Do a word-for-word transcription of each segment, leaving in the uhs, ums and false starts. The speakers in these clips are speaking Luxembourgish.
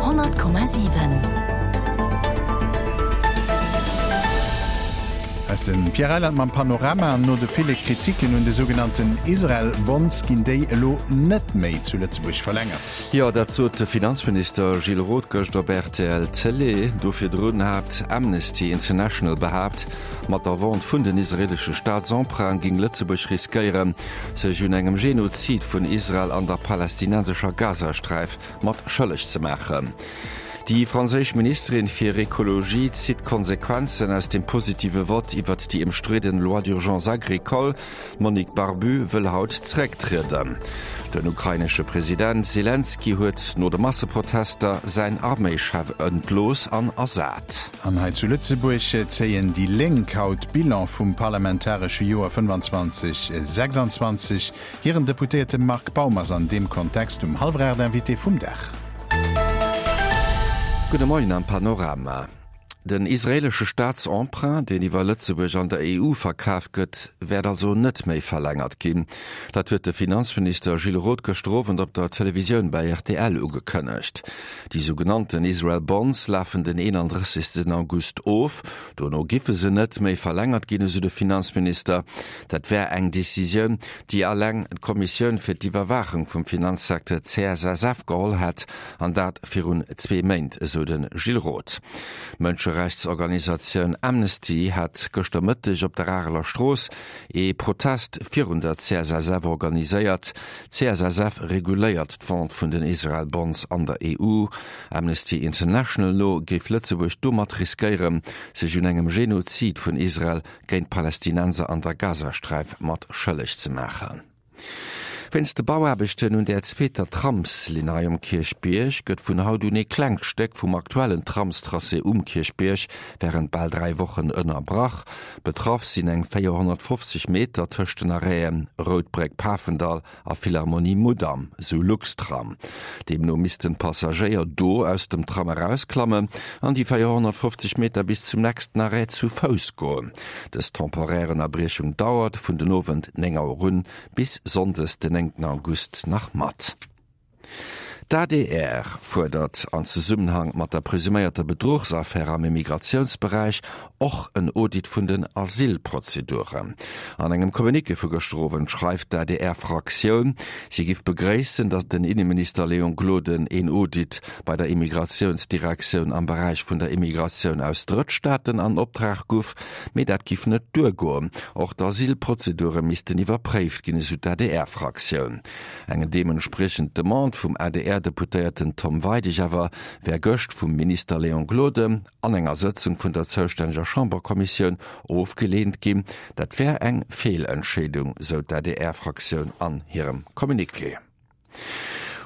Honnert Komma siwen. Aus dem Pierre Reyland mam Panorama. No de ville Kritiken un de sougenannten Israel Bonds ginn déi elo net méi zu Lëtzebuerg verlängert. Jo, dat sot de Finanzminister Gilles Roth gëscht op rtl Télé. Do virdrun hat Amnesty International behaapt, mat der Vente vun den israeelesche Staatsemprunte géing Lëtzebuerg riskéieren, sech un engem Genozid vun Israel an der palästinensescher Gazasträif mat schëlleg ze maachen. Déi franséisch Ministerin fir Ekologie zitt Konsequenzen aus dem positive Vott iwwert déi ëmstridden Loi d'urgence agricole. D'Monique Barbut wëll haut zerécktrieden. Den ukrainesche President Selenskyj huet no de Masseprotester säin Arméischef entlooss an ersat. An hei zu Lëtzebuerg zéien déi Lénk haut Bilan vum parlamentaresche Joer fënnefanzwanzeg sechsanzwanzeg. Hiren Deputéierte Marc Baum ass an deem Kontext um hallwer aacht Invité vum Dag. Gudde Moien am Panorama. Den israeelesche Staatsemprunt, deen iwwer Lëtzebuerg an der E U verkaf gëtt, wäert also net méi verlängert ginn. Dat huet de Finanzminister Gilles Roth gëschter Owend op der Televisioun bei R T L ugekënnegt. Déi sougenannten Israel Bonds lafen den eenandrëssegsten August of. Dono giffe se net méi verlängert ginn, esou de Finanzminister. Dat wär eng Decisioun, déi alleng d'Kommissioun fir d'Iwwerwaachung vum Finanzsecteur C S S F geholl hätt, an dat virun zwee Méint, esou de Gilles Roth. D'Mënscherechtsorganisatioun Amnesty hat gëschter Mëtteg op der Areler Strooss ee Protest virun der C S S F organiséiert. D'C S S F reguléiert d'Vente vun den Israel Bonds an der E U. Amnesty International no géif Lëtzebuerg domat riskéieren, sech un engem Genozid vun Israel géint Palästinenser an der Gazasträif mat schëlleg ze maachen. Wéinst de Bauaarbechten un der zweeter Tramslinn hei um Kierchbierg gëtt vun haut un ee klengt Stéck vum aktuellen Tramstracé um Kierchbierg wärend bal dräi Wochen ënnerbrach. Betraff sinn eng véierhonnertfofzeg Meter tëscht den Arrêten Rout Bréck-Pafendall a Philharmonie Mudam, sou Luxtram. Deemno missten d'Passagéier do aus dem Tram erausklammen an déi véierhonnertfofzeg Meter bis zum nächsten Arrêt zu Fouss goen. Dës temporär Ënnerbriechung dauert vun den Owend néng Auer un bis sonndes den néngten August nach mat. D'A D R fuerdert an Zesummenhang mat der presuméierter Bedruchsaffär am Immigratiounsberäich och en Audit vun den Asylprozeduren. An engem Communiqué vu gëschter Owend schreift d'A D R-Fraktioun, si giff begréissen, datt den Inneminister Léon Gloden een Audit bei der Immigratiounsdirektioun am Beräich vun der Immigratioun aus Drëttstaaten an Optrag guff, mee dat giff net duergoen. Och d'Asylprozedure missten iwwerpréift ginn, esou d'A D R-Fraktioun. Eng deementspriechend Demande vum A D R-Deputéierten Tom Weidig awer wär gëscht vum Minister Léon Gloden an enger Sëtzung vun der zoustänneger Chamberkommissioun ofgeleent ginn. Dat wär eng Feelentscheedung, sou d'A D R-Fraktioun an hirem Communiqué.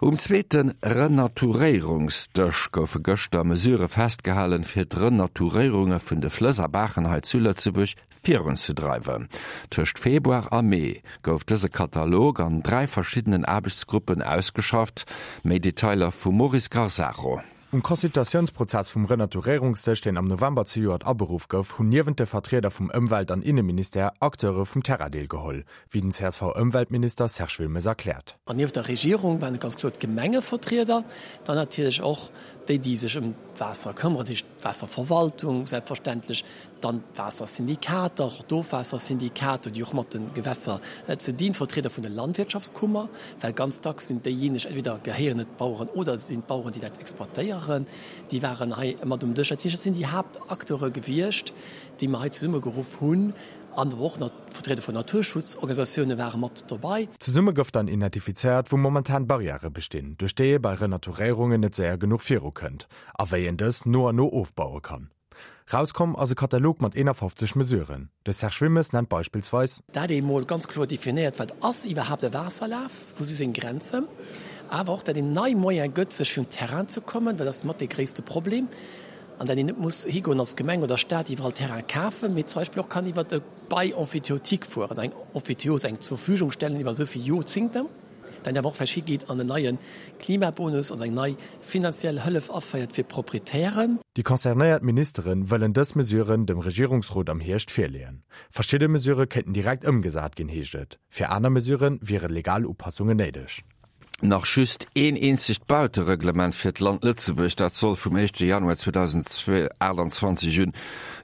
Um zweete Renaturéierungsdësch goufe gëschter Mesure festgehalen, fir d'Renaturéierunge vun de Flëss a Baachen hei zu Lëtzebuerg virunzedreiwen. Tëscht Februar a Mee gouf dëse Katalog an dräi verschiddenen Aarbechtsgruppen ausgeschafft. Méi Detailer vum Maurice Garzaro. Um Consultatiounsprozess vum Renaturéierungsdësch, deen am November zejoert aberuff gouf, hunn niewent de Vertrieder vum Ëmwelt an Inneministère Acteure vum Terrain deelgeholl, wéi den C S V-Ëmweltminister Serge Wilmes erkläert. An nieft der Regierung waren et ganz kloer d'Gemengevertrieder, dann natierlech och déi, déi sech ëm d'Waasser këmmeren, dat heescht d'Waasserverwaltung selbstverständlech, dann d'Waassersyndikater, och d'Ofwaassersyndikater, déi och mat de Gewässer ze dinn, Vertrieder vun der Landwirtschaftskummer, well ganz dacks sinn déijéineg, entweder gehéieren et d'Baueren oder sinn d'Baueren, déi dat exploitéieren, déi waren hei mat um Dësch. Dat heescht, dat sinn déi Haaptacteure gewiescht, déi mer hei zesummegeruff hunn. An och nach d'Vertrieder vun Naturschutzorganisatioune ware mat dobäi. Zesumme gouf dann identifizéiert, wou momentan Barrièrë bestinn, duerch déi ee bei Renaturéierungen net séier genuch virukënnt, a wéi een dës no an no ofbaue kann. Rauskomm ass e Katalog mat eenafofzeg Mesuren. De Serge Wilmes nennt beispillsweis. Dat ee mol ganz kloer definéiert, wat ass iwwerhaapt e Waasserlaf, wou si seng Grenzen, awer och dat een nei Moyen gëtt, sech fir un Terrain ze kommen, well dat ass mat dee gréisste Problem, an dat een net muss higoen als Gemeng oder Staat iwwerall Terrain kafen, mee zum Beispill och kann iwwert e Bail emphytéotique fueren, eng Emphytéose, eng Zurverfügungstellen iwwer esou vill Jorzingten, dann awer och vläicht higeet an en neie Klimabonus, also eng nei finanziell Hëllef aféiert fir Proprietären. Déi concernéiert Ministere wëllen dës Mesuren dem Regierungsrot am Hierscht virleeën. Verschidde Mesurë kéinten direkt ëmgesat ginn, heescht et. Fir aner Mesurë wiere legal Upassungen néideg. Nach just een eenzegt Bautereglement fir d'Land Lëtzebuerg, dat soll vum éischte Januar zweedausendachtanzwanzeg un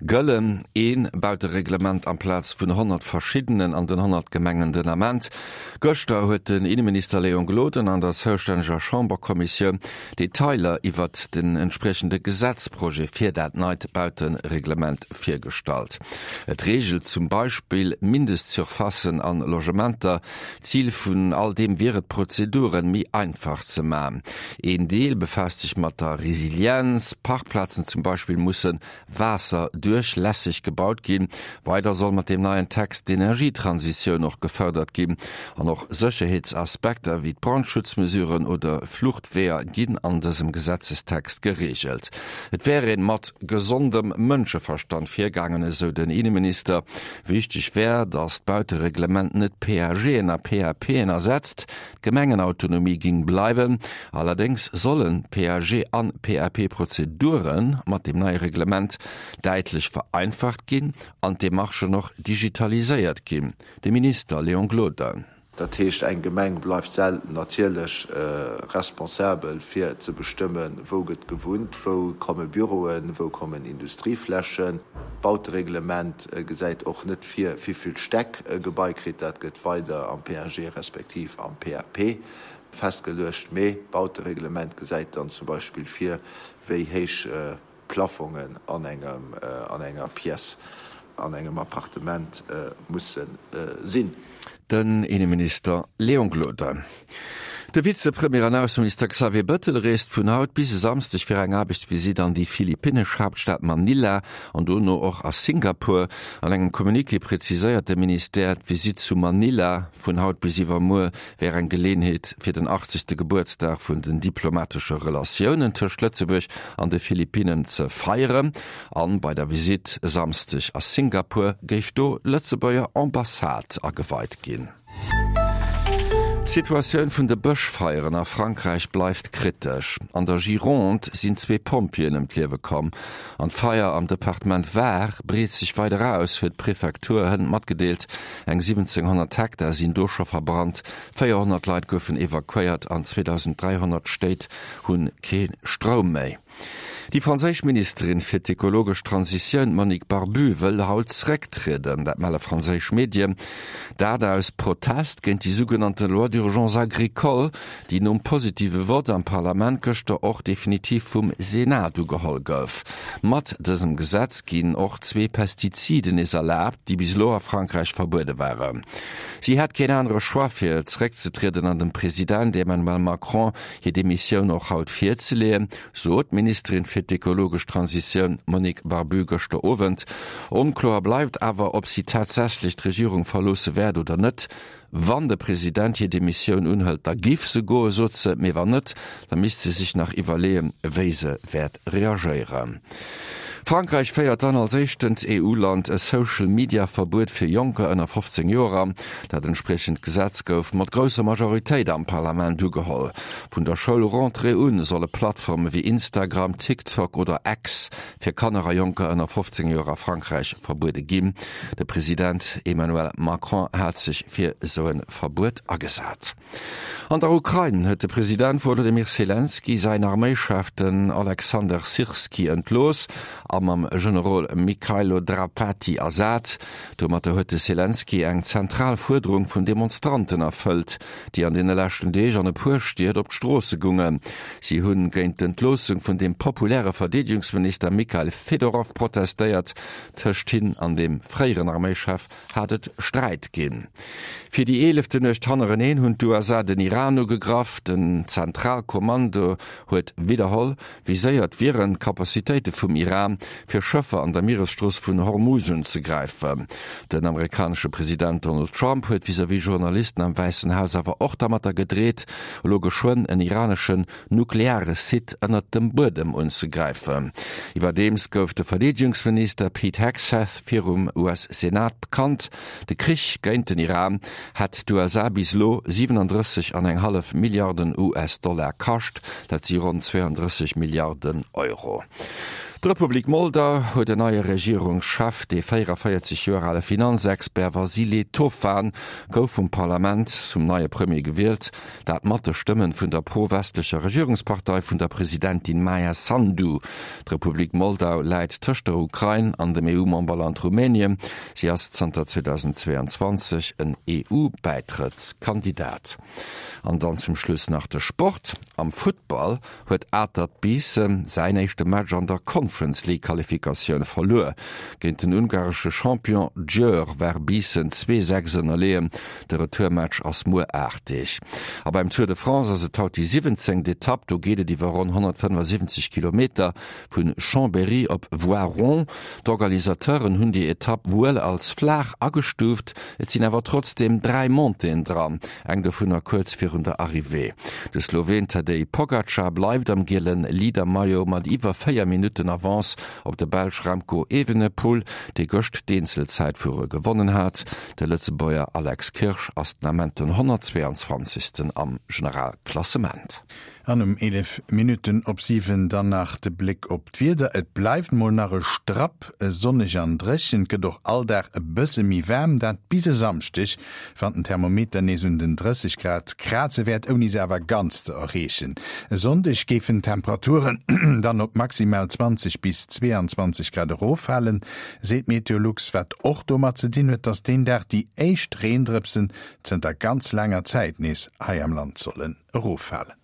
gëllen. Ee Bautereglement amplaz vun honnert verschiddenen an den honnert Gemengen den Ament. Gëschter huet den Inneminister Léon Gloden an der zoustänneger Chamberkommissioun Detailer iwwert den entspriechende Gesetzprojet fir dat neit Bautereglement virgestallt. Et reegelt zum Beispill Mindestsurfacen an Logementer. Zil vun all deem wier et, d'Prozeduren méi einfach ze man. Een Deel befaasst sech mat der Resilienz, Parkplazen zum Beispill musse waasserduerchlässeg gebaut ginn. Weider soll mat deem neien Text d'Energietransitioun och gefërdert ginn. An och Sécherheetsaspekter wéi d'Brandschutzmesuren oder Fluchtweeër ginn an dësem Gesetzestext gereegelt. Et wär een mat gesondem Mënscheverstand virgaangen, esou den Inneminister. Wichteg wär, datt d'Bautereglement net PAGen a PAPen ersetzt. D'Gemengenautonomie ging bleiwen. Allerdéngs sollen P A G an P A P-Prozedure mat dem neie Reglement däitlech vereinfacht ginn an d'Demarchen och digitaliséiert ginn. De Minister Léon Gloden. Dat heescht, eng Gemeng bleift natierlech responsabel fir ze bestëmmen, wou gëtt gewunnt, wou komme Büroen, wou kommen Industrieflächen. D'Bautereglement gesäit och net vir, wéi vill Stäck e Gebai kritt. Dat gëtt weider am P A G respektiv am P A P festgeluecht. Mee d'Bautereglement gesäit dann zum Beispill vir, wéi héich Plafongen an engem an enger Pièce an engem Appartement musse sinn. Den Inneminister Léon Gloden. De Vizepremier an Ausseminister Xavier Bettel reest vun haut bis e Samschdeg fir eng Aarbechtsvisitt an déi philippinnesch Haaptstad Manila an dono och a Singapur. An engem Communiqué präziséiert de Ministère, d'Visitt zu Manila vun haut bis iwwermuer wär eng Geleeënheet fir den achtzegste. Gebuertsdag vun den diplomatesche Relatiounen tëscht Lëtzebuerg an de Philippinnen ze feieren. An bei der Visitt e Samschdeg a Singapur géif do d'Lëtzebuerger Ambassade ageweit ginn. D'Situatioun vun de Bëschfeieren a Frankräich bleift kritesch. An der Gironde sinn zwee Pompjeeën ëm d'Liewe komm. An d'Feier am Departement Var breet sech weider aus, huet d'Prefektur hënt matgedeelt. Eng siwwenzénghonnert Hektar sinn do scho verbrannt, véierhonnert Leit goufen evakuéiert an zweedausenddräihonnert Stéit hu kee Stroum méi. Déi franséisch Ministerin fir d'ekologesch Transitioun Monique Barbut wëll haut zrécktrieden, dat melle franséisch Medien. Dat aus Protest géint déi sougenannte Loi d'urgence agricole, déi nom positive Vott am Parlament gëschter och definitiv vum Senat ugeholl gouf. Mat dësem Gesetz ginn och zwee Pestiziden nees erlaabt, déi bis elo a Frankräich verbuede waren. Si hätt keen anere Choix fir zréckzetrieden an dem President Emmanuel Macron hir Demissioun och haut virzeleeën, sot d'Ministerin fir d'ekologesch Transitioun Monique Barbut gëschter Owend. Onkloer bleift awer, ob si tatsächlech d'Regierung verloosse wäert oder net. Wann de President hir Demissioun unhëlt, da géif se goen, sot se, mee wann net, da misst se sech nach iwwerleeën, wéi se wäert reagéieren. Frankräich féiert dann als éischtent E U-Land e Social-Media-Verbuet fir Jonker ënner fofzéng Joer an. Dat entspriechend Gesetz gouf mat grousser Majoritéit am Parlament ugeholl. Vun der Schoulrentrée un solle Plattforme wéi Instagram, TikTok oder X fir Kanner a Jonker ënner fofzéng Joer a Frankräich verbuede ginn. De President Emmanuel Macron hat sech fir sou e Verbuet agesat. An der Ukrain huet de President Wolodymyr Selenskyj säin Arméischef, den Alexander Syrski, entlooss a mam Generol Mykhailo Drapaty ersat. Domatter huet de Selenskyj eng zentral Fuerderung vun Demonstranten erfëllt, déi an deene leschten Deeg an e puer Stied op d'Stroosse goungen. Si hunn géint d'Entloossung vun dem populäre Verdeedegungsminister Mykhailo Fedorov protestéiert. Tëscht him an dem fréieren Arméischef hat et Sträit ginn. Fir déi eeleften Nuecht hannereneen hunn d'U S A den Iran ugegraff. Den Zentralkommando huet widderholl, viséiert wieren Kapazitéite vum Iran fir Schëffer an der Mieresstrooss vun Hormuz unzegräifen. Den amerikanesche President Donald Trump huet vis-à-vis Journalisten am Wäissen Haus awer och domatter gedreet, elo geschwënn en iraneschen nukleare Site ënnert dem Buedem unzegräifen. Iwwerdeems gouf de Verdeedegungsminister Pete Hegseth virum U S-Senat bekannt, de Krich géint den Iran hätt d'U S A bis elo siwenandrësseg an eng hallef Milliarden U S-Dollar kascht, dat si ronn zweeandrësseg Milliarden Euro. D'Republik Moldau huet en neie Regierungschef. De véierundavéierzeg Joer ale Finanzexpert Vasile Tofan gouf vum Parlament zum neie Premier gewielt, dat mat de Stëmmen vun der pro-westlecher Regierungspartei vun der Presidentin Maia Sandu. D'Republik Moldau läit tëscht der Ukrain an dem E U-Memberland Rumänien. Si ass zanter zweedausendzweeanzwanzeg en E U-Bäitrëttskandidat. An dann zum Schluss nach de Sport. Am Futtball huet Atert Biissen säin éischte Match an der Conference League Qualifikatioun verluer. Géint den ungaresche Champion Győr war Biissen zwee, sechs ënnerleeën. De Retourmatch ass muer aacht Deeg. A beim Tour de France ass et haut déi siwwenzéngt Etapp. Do geet et iwwer ronn honnertfënnefasiwwenzeg Kilometer vu Chambéry op Voiron. D'Organisateuren hunn déi Etapp wuel als flaach agestuuft, et sinn awer trotzdeem dräi Montéeën dran, eng dovunner kuerz virun der Arrivée. De Sloween Tadej Pogacar bleift am giele Leader-Maillot mat iwwer véier Minutten Avance op de Belsch Remco Evenepoel, dee gëscht d'Eenzelzäitfuere gewonnen hat. De Lëtzebuerger Alex Kirsch ass den Ament den honnertzweeanzwanzegsten am Generalklassement. An um eelef Minutten op siwen dann nach de Bléck op d'Wieder, Et bleift mol nach e Strapp sonneg an dréchen, et gëtt och all Dag e bësse méi waarm, dat bis e Samschdeg, wann den Thermometer nees un den drësseg Grad kraze wäert, ouni se awer ganz ze erreechen. E Sonndeg géifen d'Temperaturen dann op maximal zwanzeg bis zweeanzwanzeg Grad eroffalen, seet Meteolux, wat och domat ze dinn huet, dass deen Dag déi éischt Reendrëpsen zënter ganz laanger Zäit nees hei am Land sollen eroffalen.